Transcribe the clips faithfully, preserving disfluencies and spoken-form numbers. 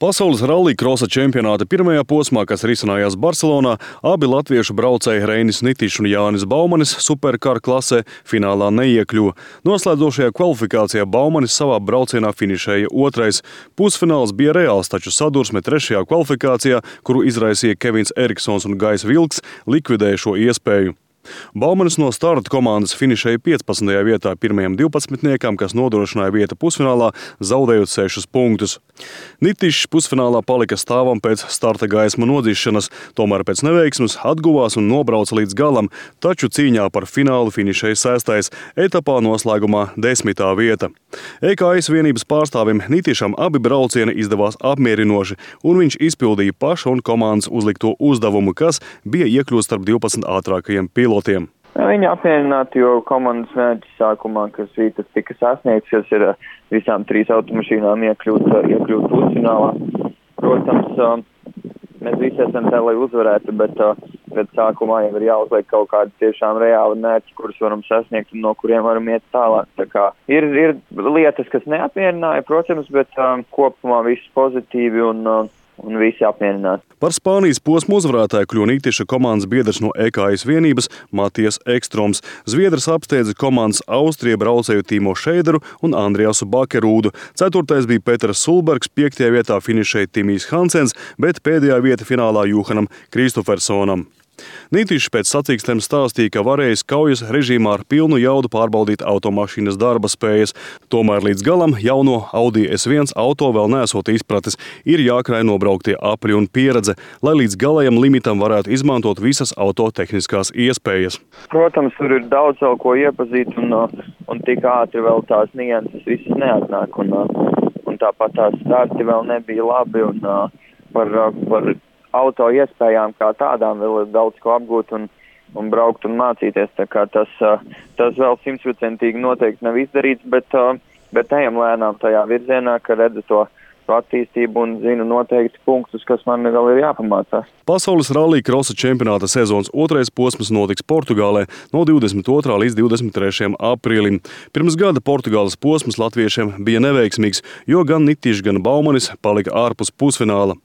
Pasaules rallija krosa čempionāta pirmajā posmā, kas risinājās Barcelonā, abi latviešu braucēji Reinis Nitišs un Jānis Baumanis superkara klasē finālā neiekļuva. Noslēdzošajā kvalifikācijā Baumanis savā braucienā finišēja otrais. Pusfināls bija reāls, taču sadursme trešajā kvalifikācijā, kuru izraisīja Kevins Eriksons un Gais Vilks, likvidēja šo iespēju. Baumanis no starta komandas finišēja piecpadsmitajā vietā pirmajam divpadsmitniekam, kas nodrošināja vietu pusfinālā, zaudējot sešus punktus. Nitišs pusfinālā palika stāvam pēc starta gaisma nodzīšanas, tomēr pēc neveiksmes atguvās un nobrauca līdz galam, taču cīņā par finālu finišēja sestais, etapā noslēgumā desmitā vieta. E K S vienības pārstāvim Nitišam abi braucieni izdevās apmierinoši, un viņš izpildīja paša un komandas uzlikto uzdevumu, kas bija iekļūt starp divpadsmit ātrākajiem pilotiem. Viņi apmierināti, jo komandas mērķis sākumā, kas tas tika sasniegts, kas ir visām trīs automašīnām iekļūt, iekļūt pusfinālā. Protams, mēs visi esam te, lai uzvarētu, bet, bet sākumā jau ir jāuzliek kaut kādi tiešām reāli mērķi, kurus varam sasniegt un no kuriem varam iet tālāk. Tā kā ir, ir lietas, kas neapmierināja, protams, bet um, kopumā viss pozitīvi un uh, un visi apmierināti. Par Spānijas posmu uzvarētāju kļuva Nitiša komandas biedrs no E K S vienības Matijas Ekstroms. Zviedrs apsteidza komandas Austrija braucēju Timo Šeideru un Andriasu Bakerūdu. Ceturtais bija Peters Sulbergs, piektajā vietā finišēja Timijs Hansens, bet pēdējā vieta finālā Juhanam Kristofersonam. Nitišs pēc sacīkstēm stāstīja, ka varējis kaujas režīmā ar pilnu jaudu pārbaudīt automašīnas darba spējas. Tomēr līdz galam jauno Audi S viens auto vēl neesot izpratis. Ir jākrāj nobrauktie apļi un pieredze, lai līdz galējam limitam varētu izmantot visas autotehniskās iespējas. Protams, tur ir daudz vēl ko iepazīt un, un tik ātri vēl tās nianses visas neatnāk. Un, un tāpat tās starti vēl nebija labi un par... par auto iespējām kā tādām vēl ir daudz ko apgūt un, un braukt un mācīties. Tā kā tas, tas vēl simtprocentīgi noteikti nav izdarīts, bet, bet ejam lēnām tajā virzienā, ka redzu to attīstību un zinu noteikti punktus, kas man vēl ir jāpamācās. Pasaules rallija krosa čempionāta sezonas otrais posms notiks Portugālē no divdesmit otrā līdz divdesmit trešajam aprīlim. Pirms gada Portugāles posms latviešiem bija neveiksmīgs, jo gan Nitišs, gan Baumanis palika ārpus pusfināla.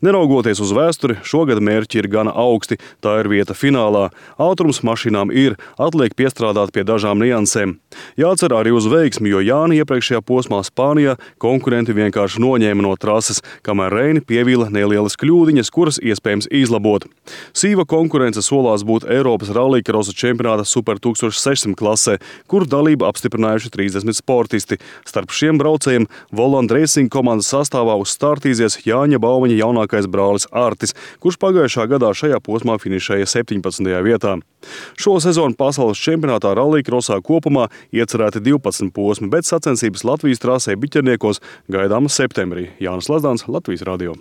Neraugoties uz vēsturi, šogad mērķi ir gana augsti, tā ir vieta finālā. Ātrums mašīnām ir, atliek piestrādāt pie dažām niansēm. Jācer arī uz veiksmi, jo Jāni iepriekšējā posmā Spānijā konkurenti vienkārši noņēma no trases, kamēr Reini pievīla nelielas kļūdiņas, kuras iespējams izlabot. Sīva konkurence solās būt Eiropas rallija krosa čempionāta Super tūkstoš sešsimt klasē, kur dalību apstiprinājuši trīsdesmit sportisti. Starp šiem braucējiem Voland Racing komandas sastāvā uzstartīsies Jāņa Baumaņa jaunākais brālis Artis, kurš pagājušā gadā šajā posmā finišēja septiņpadsmitajā vietā. Šo sezonu pasaules čempionātā rallija krosā kopumā iecerēti divpadsmit posmi, bet sacensības Latvijas trasē Biķerniekos gaidāmas septembrī. Jānis Lazdāns, Latvijas radio.